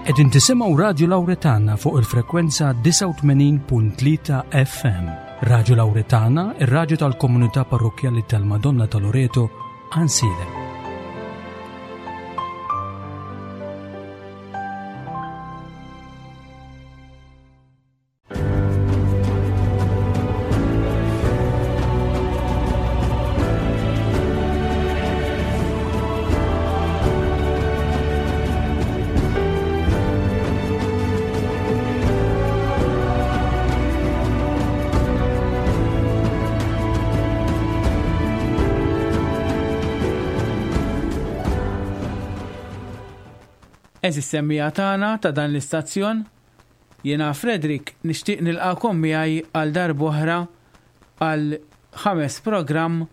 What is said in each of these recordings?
Qegħdin tisimgħu Radju Lawretana fuq il-frekwenza 89.3 FM. Radju Lawretana, ir-radju tal-komunità parrokkjali tal-Madonna ta' Loreto, Ansiedem. Eżis semmija tagħna ta' dan l-istazzjon, Jiena Frederick nixtieq nilqagħkom miegħi għal darb'oħra għal ħames programm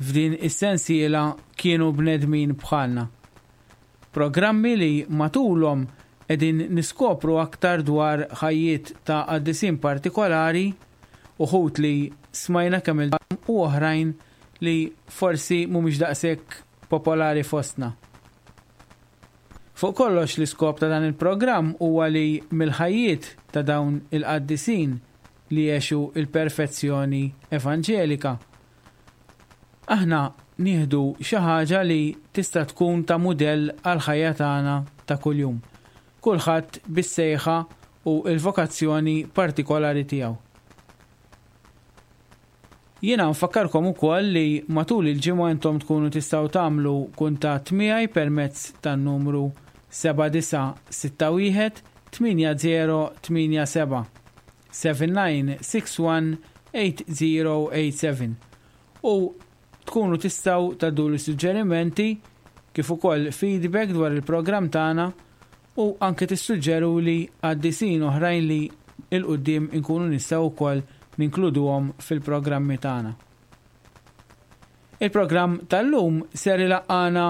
f'din is-sensiela Kienu Bnedmin Bħalna. Programmi li matulhom qegħdin niskopru aktar dwar ħajjiet ta' qaddisin partikolari, uħud li smajna kemm-il darba u oħrajn li forsi mhumiex daqshekk popolari fostna. Fuq kollox l-iskop ta' dan il-programm huwa li mill-ħajjiet ta' dawn il-qaddisin li għexu l-perfezzjoni evanġelika, aħna nieħdu xi ħaġa li tista' tkun ta' mudell għall-ħajja tagħna ta' kuljum, kulħadd bis-sejħa u l-vokazzjoni partikolari tiegħu. Jiena nfakkarkom ukoll li matul il-ġimgħa intom tkunu tistgħu tagħmlu kuntatt miegħi permezz tan-numru 7961 8087, 7961 8087, u tkunu tistgħu tgħadduli suġġerimenti kif ukoll feedback dwar il-programm tagħna u anke tissuġġeruli qaddisin oħrajn li 'l quddiem inkunu nistgħu wkoll ninkluduhom fil-programmi tagħna. Il-programm tal-lum ser ilaqqagħna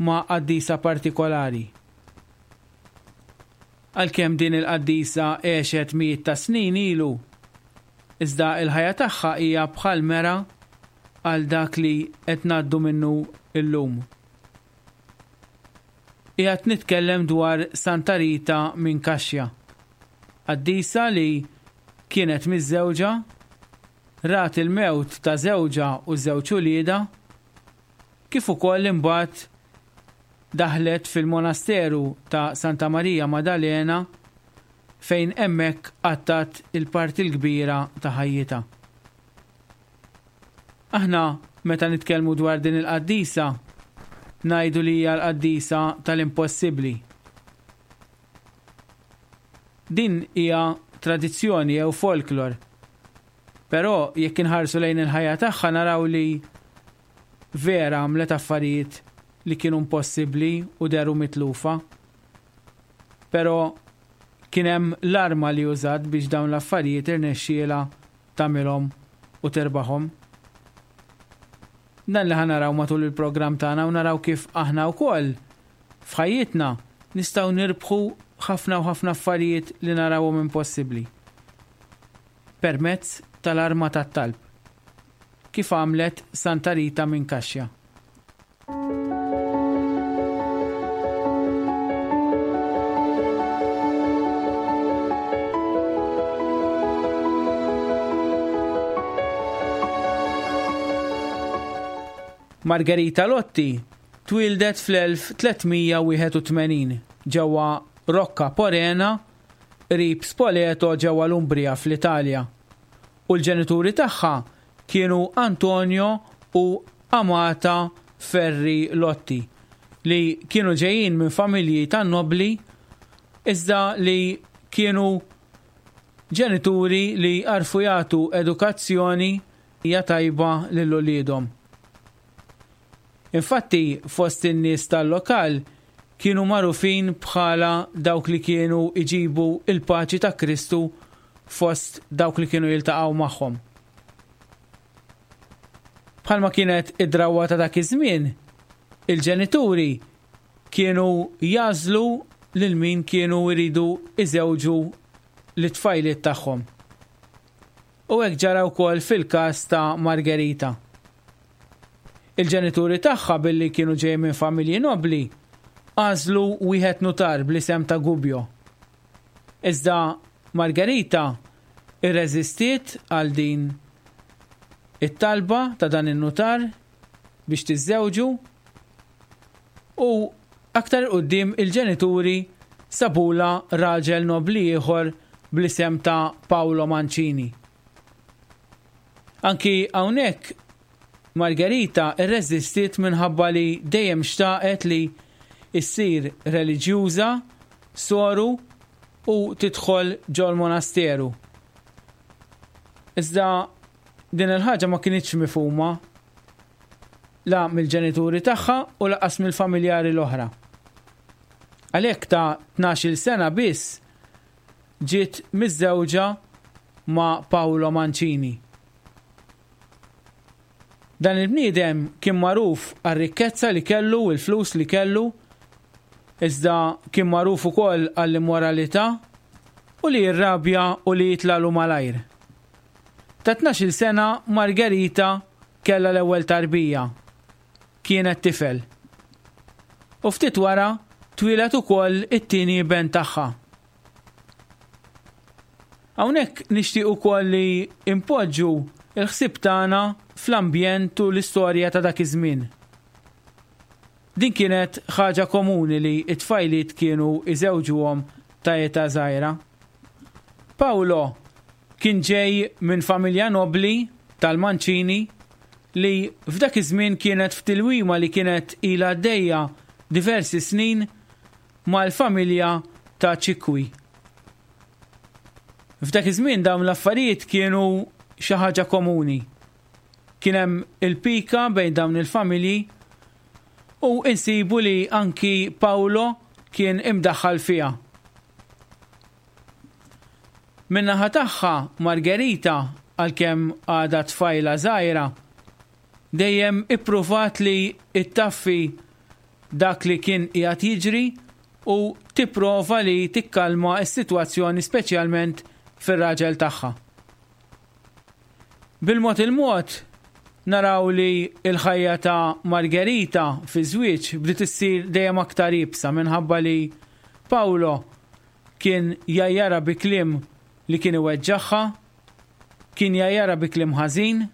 ma' qaddisa partikolari. Għalkemm din il-qaddisa għexet mijiet ta' snin ilu, iżda l-ħajja tagħha hija bħal mera għal dak li qed ngħaddu minnu llum. Qiegħed nitkellem dwar Santa Rita minn Cascia, qaddisa li kienet miżżewġa, rat il-mewt ta' żewġha u żewġ uliedha, kif ukoll imbagħad daħlet fil-monasteru ta' Santa Marija Madalena fejn hemmhekk qattgħet il-parti l-kbira ta' ħajjitha. Aħna meta nitkellmu dwar din il-qaddisa, ngħidu li hija l-qaddisa tal-impossibbli. Din hija tradizzjoni jew folklor. Però jekk inħarsu lejn il-ħajja tagħha naraw li vera għamlet affarijiet li kienu impossibbli u dehru mitlufa. Però kien hemm l-arma li użat biex dawn l-affarijiet irnexxielha tagħmilhom u tirbaħhom. Dan li ħa naraw matul il-programm tagħna u naraw kif aħna wkoll f'ħajjitna nistgħu nirbħu ħafna u ħafna affarijiet li narawhom impossibbli. Permezz tal-arma tat-talb. Kif għamlet Santa Rita minn Kaxja. Margherita Lotti twieldet fl-1381 ġewwa Rocca Porena qrib Spoleto ġewwa l-Umbria fl-Italja u l-ġenituri tagħha kienu Antonio u Amata Ferri Lotti, li kienu ġejjin minn familji tan-nobbli iżda li kienu ġenituri li għarfu jagħtu edukazzjoni tajba lil uliedhom. Infatti fost in-nies tal-lokal kienu magħrufin bħala dawk li kienu jġibu l-paċi ta' Kristu fost dawk li kienu jiltaqgħu magħhom. Bħalma kienet id-drawwa ta' dak iż-żmien, il-ġenituri kienu jagħżlu lil min kienu jridu jżewġu lit-tfajliet tagħhom. U hekk ġara wkoll fil-każ ta' Margherita. Il-ġenituri tagħha billi kienu ġejjin minn familji nobbli, għażlu wieħed nutar bl-isem ta' Gubbio. Iżda Margherita rreżistiet għal din it-talba ta' dan in-nutar biex tiżżewġu u aktar 'il quddiem il-ġenituri sabulha raġel nobbli ieħor bl-isem ta' Paolo Mancini. Anki hawnhekk Margherita rreżistiet minħabba li dejjem xtaqet li ssir reliġjuża, soru u tidħol ġol-monasteru. Iżda din il-ħaġa ma kinitx mifhuma la mill-ġenituri tagħha u lanqas mill-familjari l-oħra. Għalhekk ta' tnax-il sena biss ġiet miżżewġa ma' Paolo Mancini. Dan il-bniedem kien magħruf għar-rikkezza li kellu u l-flus li kellu, iżda kien magħruf ukoll għall-immoralità u li jirrabja u li jitlagħlu malajr. Ta' tnax-il sena Margherita kellha l-ewwel tarbija. Kienet tifel. U ftit wara twieled ukoll it-tieni iben tagħha. Hawnhekk nixtieq ukoll li npoġġu l-ħsieb tagħna fl-ambjent u l-istorja ta' dak iż-żmien. Din kienet ħaġa komuni li t-tfajliet kienu jżewġuhom ta' età żgħira. Paolo kien ġej minn familja nobbli tal-Mancini li f'dak iż-żmien kienet f'tilwima li kienet ilha għaddejja diversi snin mal-familja ta' Ċikwi. F'dak iż-żmien dawn l-affarijiet kienu xi ħaġa komuni. Kien hemm il-pika bejn dawn il-familji u insibu li anki Paolo kien imdaħħal fiha. Min-naħa tagħha Margherita għalkemm għadha tfajla żgħira dejjem ippruvat li ttaffi dak li kien qiegħed jiġri u tipprova li tikkalma s-sitwazzjoni speċjalment fir-raġel tagħha. Bil-mod il-mod naraw li l-ħajja ta' Margherita fiż-żwieġ bdiet issir dejjem aktar iebsa minħabba li Paolo kien jgħajjarha bi kliem li kien iweġġagħha, kien jgħajjarha bi kliem ħażin,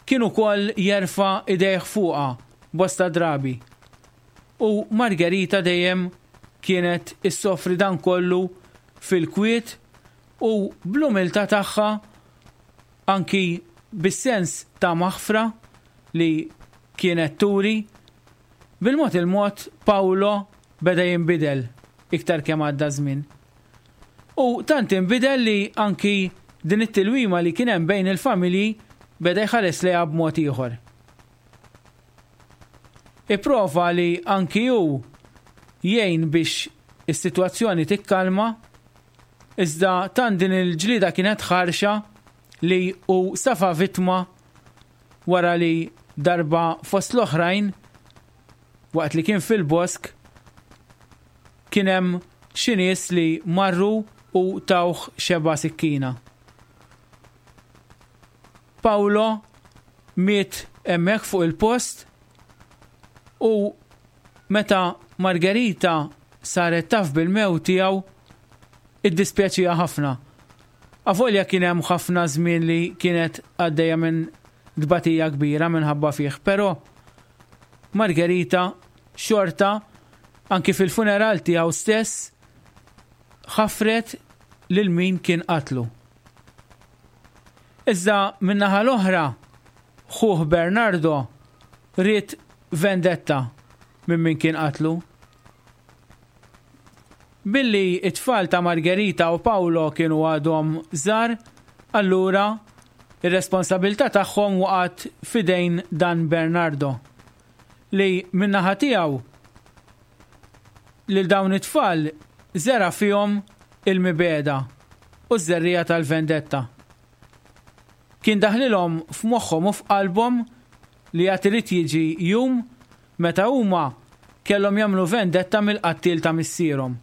Kien ukoll jerfa' idejh fuqha bosta drabi. U Margherita dejjem kienet issofri dan kollu fil-kwiet u bl-umiltà tagħha anki bis-sens ta' maħfra li kienet turi. Bil-mod il-mod Paolo beda jinbidel iktar kemm għadda ż-żmien. U tant inbidel li anki din it-tilwima li kien hemm bejn il-familji beda jħares lejha b'mod ieħor. Ipprova li anki hu jgħin biex is-sitwazzjoni tikkalma, iżda tant din il-ġlieda kienet ħarxa li hu safa vittma wara li darba fost l-oħrajn waqt li kien fil-bosk kien hemm xi nies li marru u tawh xebgħa sikkina. Paolo miet hemmhekk fuq il-post u meta Margherita saret taf bil-mewt tiegħu iddispjaċieha ħafna. Avolja kien hemm ħafna żmien li kienet għaddejja minn tbatija kbira minħabba fih, però Margherita xorta anki fil-funeral tiegħu stess ħafret lil min kien qatlu. Iżda min-naħa l-oħra, ħuh Bernardo ried vendetta minn min kien qatlu. Billi t-tfal ta' Margherita u Paolo kienu għadhom żgħar, allura r-responsabilità tagħhom waqgħet f'idejn dan Bernardo, li min-naħa tiegħu lil dawn it-tfal żera' fihom il-mibegħda u ż-żerriegħa tal-vendetta. Kien daħlilhom f'moħħhom u f'qalbhom li għad irid jiġi jum meta huma kellhom jagħmlu vendetta mill-qattiel ta' missierhom.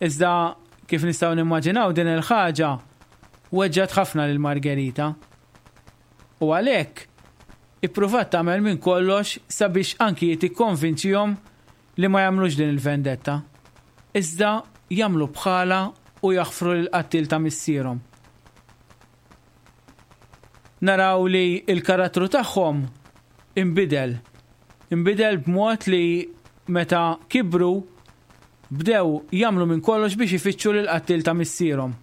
Iżda kif nistgħu nimmaġinaw din il-ħaġa weġġgħet ħafna lil Margherita. U għalhekk. Ippruvat tagħmel minn kollox sabiex anki hi tikkonvinċihom li ma jagħmlux din il-vendetta, iżda jagħmlu bħalha u jaħfru lill-qattiel ta' missierhom. Naraw li l-karattru tagħhom inbidel. Inbidel b'mod li meta kibru bdew jagħmlu minn kollox biex ifittxu lill-qattiel ta' missierhom.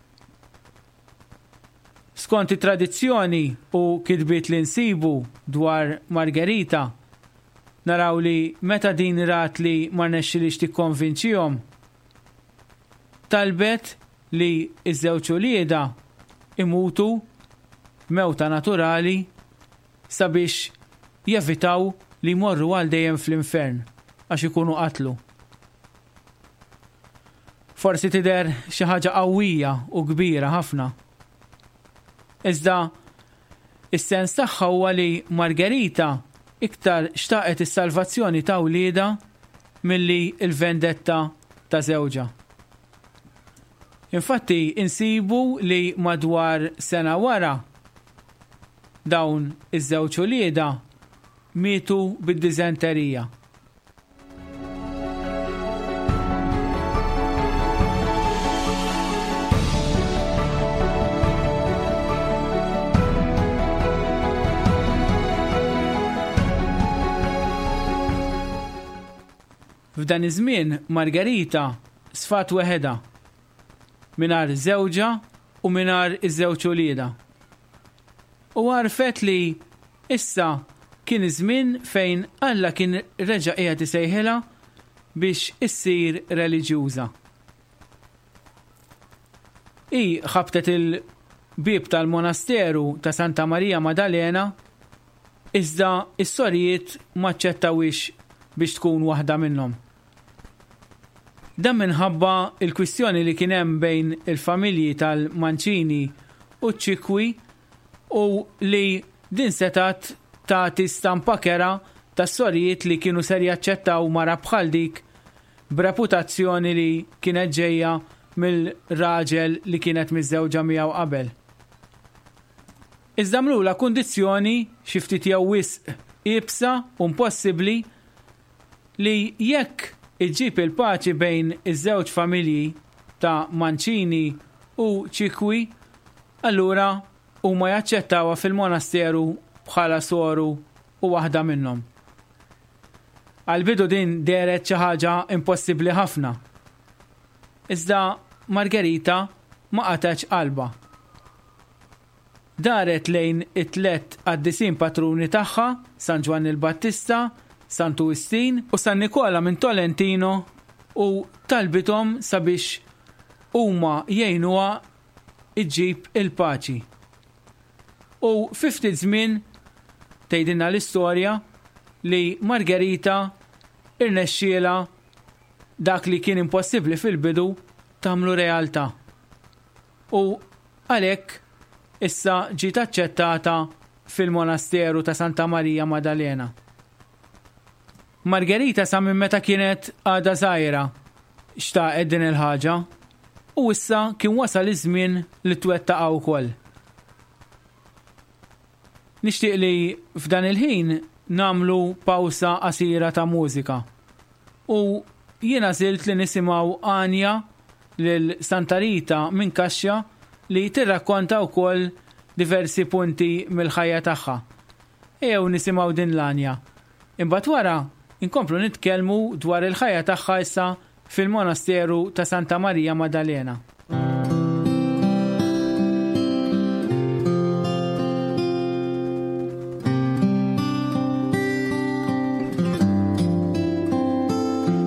Skont it-tradizzjoni u kitbiet li nsibu dwar Margherita, naraw li meta din rat li ma rnexxilhiex tikkonvinċihom, talbet li ż-żewġ uliedha imutu mewta naturali sabiex jevitaw li jmorru għal dejjem fl-infern għax ikunu qatlu. Forsi tidher xi ħaġa qawwija u kbira ħafna. Iżda is-sens tagħha huwa li Margherita iktar xtaqet is-salvazzjoni ta' wliedha milli l-vendetta ta' żewġha. Infatti insibu li madwar sena wara dawn iż-żewġ uliedha mietu bid-diżenterija. F'dan iż-żmien Margherita sfat weħedha, mingħajr żewġha u mingħajr iż-żewġ uliedha. U għarfet li issa kien iż-żmien fejn Alla kien reġa' qiegħed isejħilha biex issir reliġjuża. Hi ħabtet il-bieb tal-monasteru ta' Santa Marija Madalena iżda s-sorijiet m'aċċettawhiex biex tkun waħda minnhom. Dan minħabba l-kwistjoni li kien hemm bejn il-familji tal-Mancini u ċ-Ċikwi u li din setgħet tagħti stampa kerha tas-sorijiet li kienu ser jaċċettaw mara bħal dik b'reputazzjoni li kienet ġejja mill-raġel li kienet miżżewġa miegħu qabel. Iżda għamlulha kundizzjoni xi ftit jew wisq iebsa u impossibbli li jekk iġġib il-paċi bejn iż-żewġ familji ta' Mancini u Ċikwi, allura huma jaċċettawha fil-monasteru bħala soru u waħda minnhom. Għall-bidu din dehret xi ħaġa impossibbli ħafna. Iżda Margherita ma qatgħetx qalbha. Daret lejn it-tlett qaddisin patruni tagħha, San Ġwann il-Battista, Santu Wistin u San Nikola minn Tolentino u talbithom sabiex huma jgħinuha ġġib il-paċi. U fi ftit żmien, tgħidilna l-istorja, li Margherita rnexxielha dak li kien impossibbli fil-bidu tagħmlu realtà. U għalhekk issa ġiet aċċettata fil-monasteru ta' Santa Marija Madalena. Margherita sa minn meta kienet għadha żgħira xtaqet din il-ħaġa u issa kien wasal iż-żmien li twettaqha wkoll. Nixtieq li f'dan il-ħin nagħmlu pawsa qasira ta' mużika u jien għażilt li nisimgħu għanja lil Santa Rita minn Kaxxa li tirrakkonta wkoll diversi punti mill-ħajja tagħha. Ejjew nisimgħu din l-għanja. Imbagħad wara nkomplu nitkellmu dwar il-ħajja tagħha issa fil-monasteru ta' Santa Marija Madalena.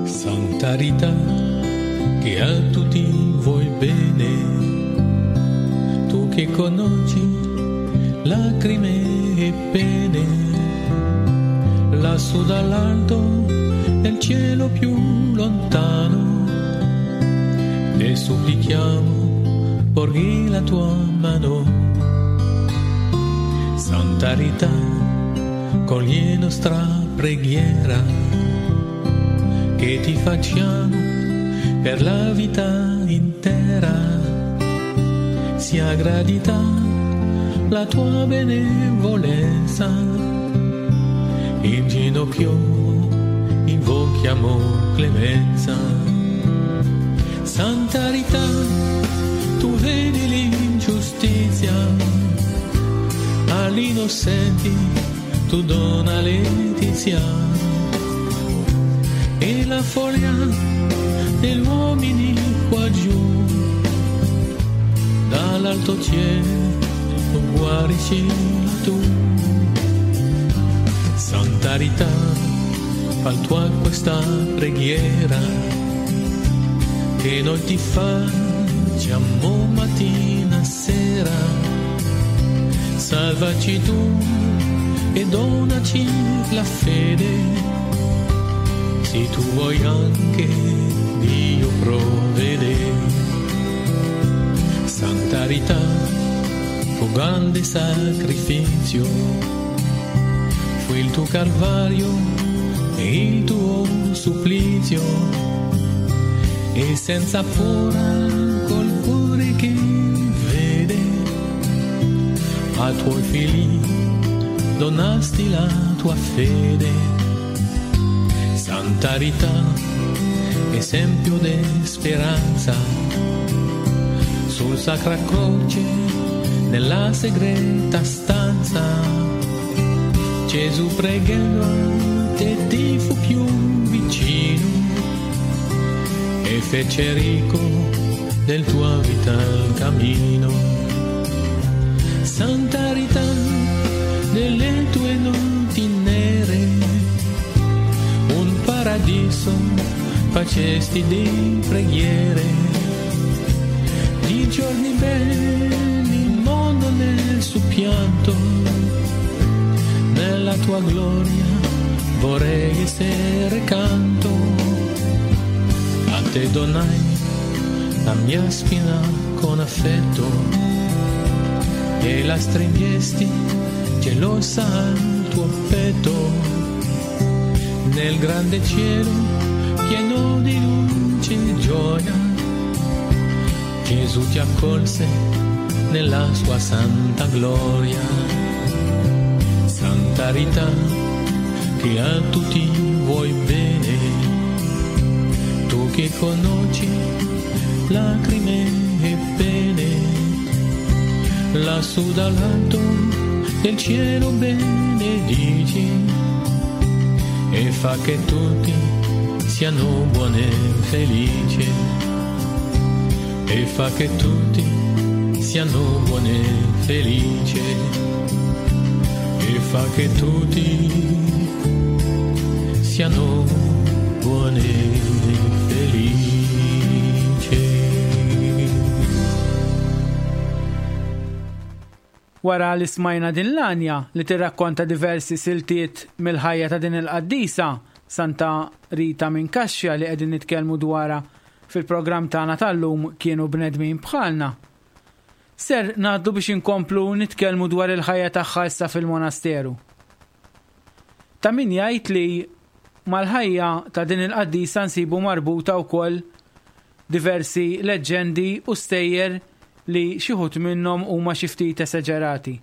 Santa Rita, che a tutti vuoi bene, tu che conosci lacrime e pene, lassù dall'alto nel cielo più lontano, te supplichiamo, porgi la tua mano. Santa Rita, cogli nostra preghiera, che ti facciamo per la vita intera. Sia gradita la tua benevolenza. In ginocchio invochiamo clemenza. Santa Rita, tu vedi l'ingiustizia, agli innocenti tu dona letizia. E la follia degli uomini qua giù, dall'alto cielo guariscila tu. Santa Rita, fa tua questa preghiera che noi ti facciamo mattina e sera. Salvaci tu e donaci la fede, se tu vuoi anche Dio provvede. Santa Rita, fu grande sacrificio, fu il tuo calvario e il tuo supplizio, e senza paura col cuore che vede, a tuoi figli donasti la tua fede. Santa Rita, esempio di speranza, sul sacra croce nella segreta stanza, Gesù pregando a te ti fu più vicino e fece ricco del tuo vital cammino. Santa Rita, nelle tue notti nere, un paradiso facesti di preghiere, di giorni belli il mondo nel suo pianto, nella tua gloria vorrei essere canto. A te donai la mia spina con affetto e la stringesti gelosa al tuo petto. Nel grande cielo pieno di luce e gioia, Gesù ti accolse nella sua santa gloria. Santa Rita, che a tutti vuoi bene, tu che conosci lacrime e pene, lassù dall'alto del cielo benedici e fa che tutti siano buoni e felici, e fa che tutti siano buoni e felici, e fa che tutti siano buoni e felici. Wara li smajna din l-għanja li tirrakkonta diversi siltiet mill-ħajja ta' din il-qaddisa, Santa Rita minn Kaxxa li qegħdin nitkellmu dwarha fil-programm tagħna tal-lum kienu bnedmin bħalna. Ser ngħaddu biex inkomplu nitkellmu dwar il-ħajja tagħha issa fil-monasteru. Ta' min jgħid li mal-ħajja ta' din il-qaddisa nsibu marbuta wkoll diversi leġġendi u stejjer li xi wħud minnhom huma xi ftit esaġerati.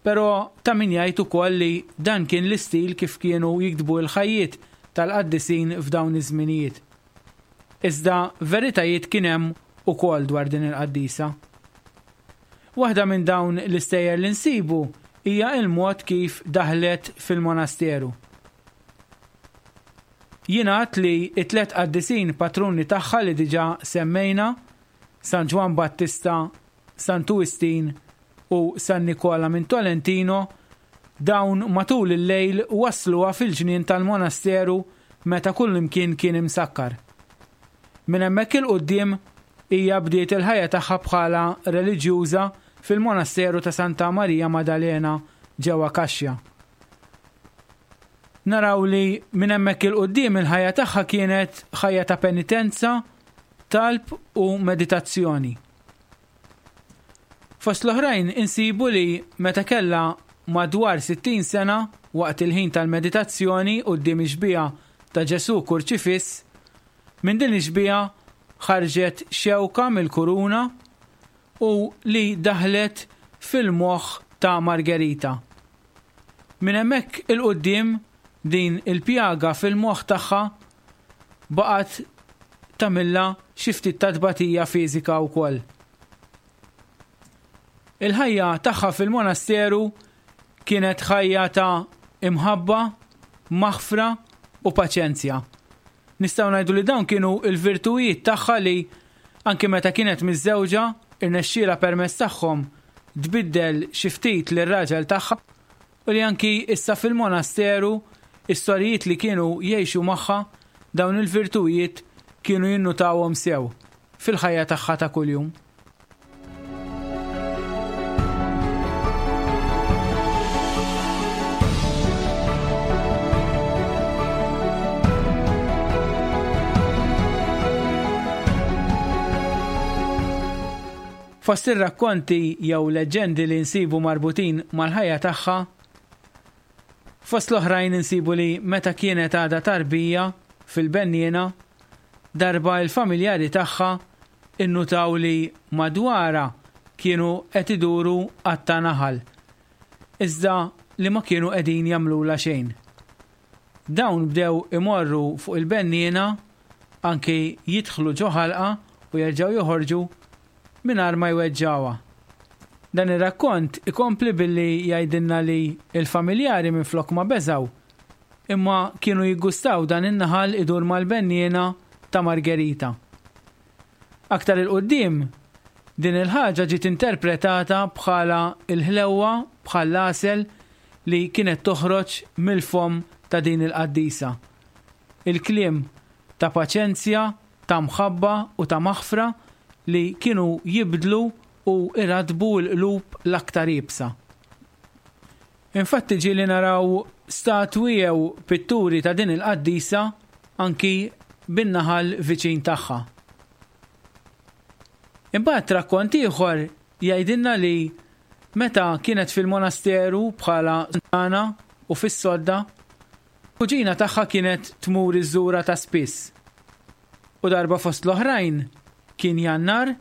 Però ta' min jgħid ukoll li dan kien l-istil kif kienu jiktbu l-ħajjiet tal-qaddisin f'dawn iż-żminijiet. Iżda veritajiet kien hemm ukoll dwar din il-qaddisa. Waħda minn dawn l-istejjer li nsibu hija l-mod kif daħlet fil-monasteru. Jingħad li t-tlett qaddisin patruni tagħha li diġà semmejna, San Ġwann Battista, Santu Wistin u San Nikola minn Tolentino, dawn matul il-lejl wassluha fil-ġnien tal-monasteru meta kullimkien kien imsakkar. Minn hemmhekk 'il quddiem hija bdiet il-ħajja tagħha bħala reliġjuża fil-monasteru ta' Santa Marija Madalena ġewwa Cascia. Naraw li minn hemmhekk 'il quddiem il-ħajja tagħha kienet ħajja ta' penitenza, talb u meditazzjoni. Fost l-oħrajn insibu li meta kellha madwar 60 sena waqt il-ħin tal-meditazzjoni quddiem ix-xbieha ta' Ġesù kurċifiss, minn din ix-xbieha ħarġet xewka mill-kuruna u li daħlet fil-moħħ ta' Margherita. Minn hemmhekk 'il quddiem din il-pjaga fil-moħħ tagħha baqgħet tagħmilha xi ftit ta' tbatija fiżika wkoll. Il-ħajja tagħha fil-monasteru kienet ħajja ta' imħabba, maħfra u paċenzja. Nistgħu ngħidu li dawn kienu l-virtujiet tagħha li anki meta kienet miżżewġa irnexxielha permezz tagħhom tbiddel xi ftit lir-raġel tagħha u li anki issa fil-monasteru s-sorijiet li kienu jgħixu magħha dawn il-virtujiet kienu jinnutawhom sew fil-ħajja tagħha ta' kuljum. Fost ir-rakkonti jew leġġendi li nsibu marbutin mal-ħajja tagħha, fost l-oħrajn insibu li meta kienet għadha tarbija fil-benniena, darba l-familjari tagħha innutaw li madwarha kienu qed iduru għadd ta' naħal, iżda li ma kienu qegħdin jagħmlulha xejn. Dawn bdew imorru fuq il-benniena, anki jidħlu ġo ħalqha u jerġgħu joħorġu mingħajr ma jweġġgħuha. Dan ir-rakkont ikompli billi jgħidilna li l-familjari minflok ma beżgħu, imma kienu jiggustaw dan in-naħal idur mal-benniena ta' Margherita. Aktar 'il quddiem, din il-ħaġa ġiet interpretata bħala l-ħlewwa bħall-għasel li kienet toħroġ mill-fomm ta' din il-qaddisa. Il-kliem ta' paċenzja, ta' mħabba u ta' maħfra li kienu jibdlu u jrattbu l-qlub l-aktar iebsa. Infatti ġieli naraw statwi jew pitturi ta' din il-qaddisa anki bin-naħal viċin tagħha. Imbagħad rakkont ieħor jgħidilna li meta kienet fil-monasteru bħala sultana u fis-sodda, kuġina tagħha kienet tmur iżżurha ta' spiss. U darba fost l-oħrajn kien Jannar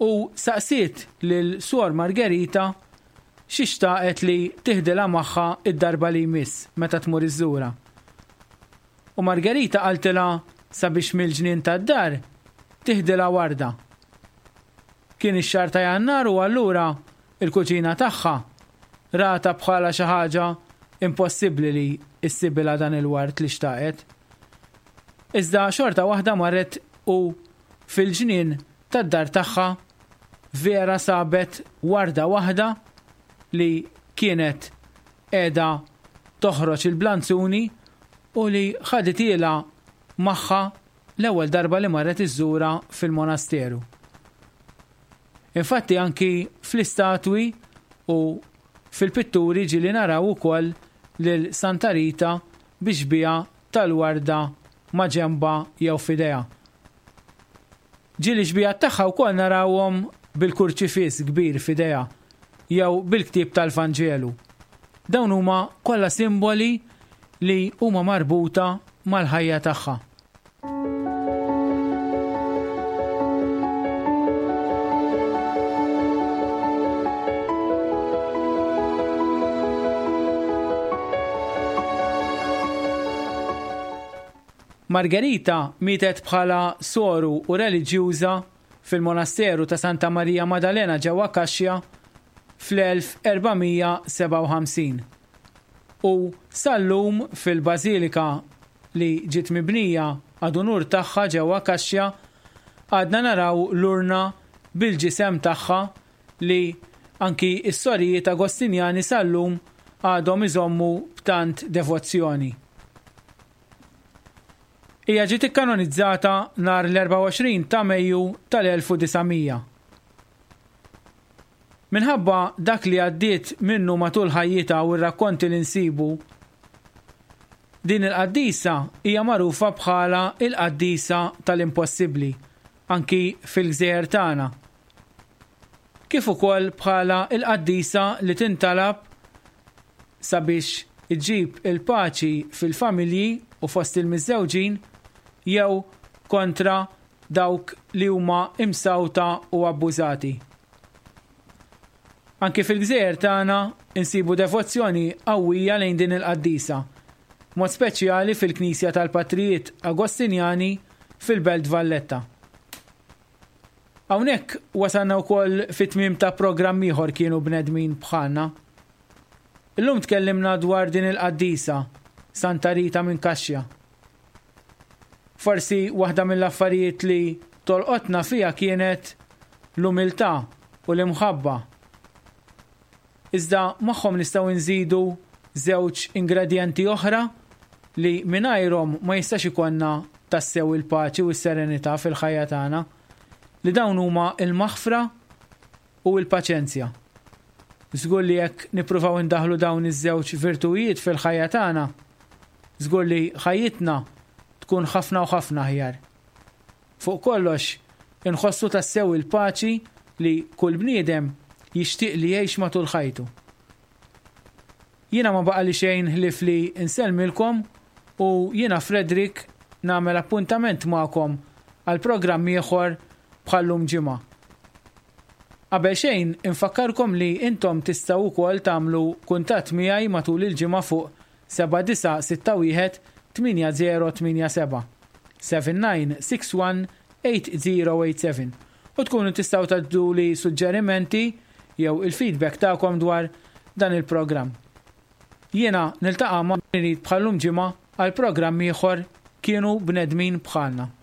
u saqsiet lil Suor Margherita xi xtaqet li tiħdilha magħha d-darba li jmiss meta tmur iżżurha. U Margherita qaltilha sabiex mill-ġnien tad-dar tiħdilha warda. Kien ix-xahar ta' Jannar u allura l-kuġina tagħha ratha bħala xi ħaġa impossibbli li issibilha dan il-ward li xtaqet. Iżda xorta waħda marret u fil-ġnien tad-dar tagħha vera sabet warda waħda li kienet qiegħda toħroġ il-blanzuni u li ħadithielha magħha l-ewwel darba li marret iżżurha fil-monasteru. Infatti anki fl-istatwi u fil-pitturi ġieli naraw ukoll lil Santa Rita bi xbieha tal-warda ma' ġenbha jew f'idejha. Ġieli x-xbihat tagħha wkoll narawhom bil-kurċifiss kbir f'idejha jew bil-ktieb tal-Vanġelu. Dawn huma kollha simboli li huma marbuta mal-ħajja tagħha. Margherita mietet bħala soru u reliġjuża fil-monasteru ta' Santa Marija Madalena ġewwa Cascia fl-1457 u sal-lum fil-bażilika li ġiet mibnija ad unur tagħha ġewwa Cascia għadna naraw l-urna bil-ġisem tagħha li anki s-sorijiet Agostinjani sal-lum għadhom iżommu b'tant devozzjoni. Hija ġiet ikkanonizzata nhar l-24 ta' Mejju tal-1900. Minħabba dak li għaddiet minnu matul ħajjitha u r-rakkonti li nsibu, din il-qaddisa hija magħrufa bħala l-qaddisa tal-impossibbli anki fil-gżejjer tagħna. Kif ukoll bħala l-qaddisa li tintalab sabiex iġġib il-paċi fil-familji u fost il-miżżewġin jew kontra dawk li huma imsawta u abbużati. Anki fil-gżejjer tagħna nsibu devozzjoni qawwija lejn din il-qaddisa, b'mod speċjali fil-Knisja tal-Patrijiet Agostinjani fil-Belt Valletta. Hawnhekk wasalna wkoll fit-tmiem ta' programm ieħor Kienu Bnedmin Bħalna. Illum tkellimna dwar din il-qaddisa, Santa Rita minn Kaxja. Forsi waħda mill-affarijiet li tolqotna fiha kienet l-umiltà u l-imħabba. Iżda magħhom nistgħu nżidu żewġ ingredjenti oħra li mingħajrhom ma jistax ikollna tassew il-paċi u s-serenità fil-ħajja tagħna, li dawn huma l-maħfra u l-paċenzja. Żgur li jekk nippruvaw indaħħlu dawn iż-żewġ virtujiet fil-ħajja tagħna, żgur li ħajjitna tkun ħafna u ħafna aħjar. Fuq kollox, inħossu tassew il-paċi li kull bniedem jixtieq li jgħix matul ħajtu. Jiena ma baqali xejn ħlief li nsellmilkom u jiena Frederick nagħmel appuntament magħkom għal programm ieħor bħal-lum ġimgħa. Qabel xejn infakkarkom li intom tistgħu wkoll tagħmlu kuntatt miegħi matul il-ġimgħa fuq 7961 8087, 7961 8087, u tkunu tistgħu tgħadduli suġġerimenti jew il-feedback tagħkom dwar dan il-programm. Jiena niltaqa' ma' bħal-lum ġimgħa għal programm ieħor Kienu Bnedmin Bħalna.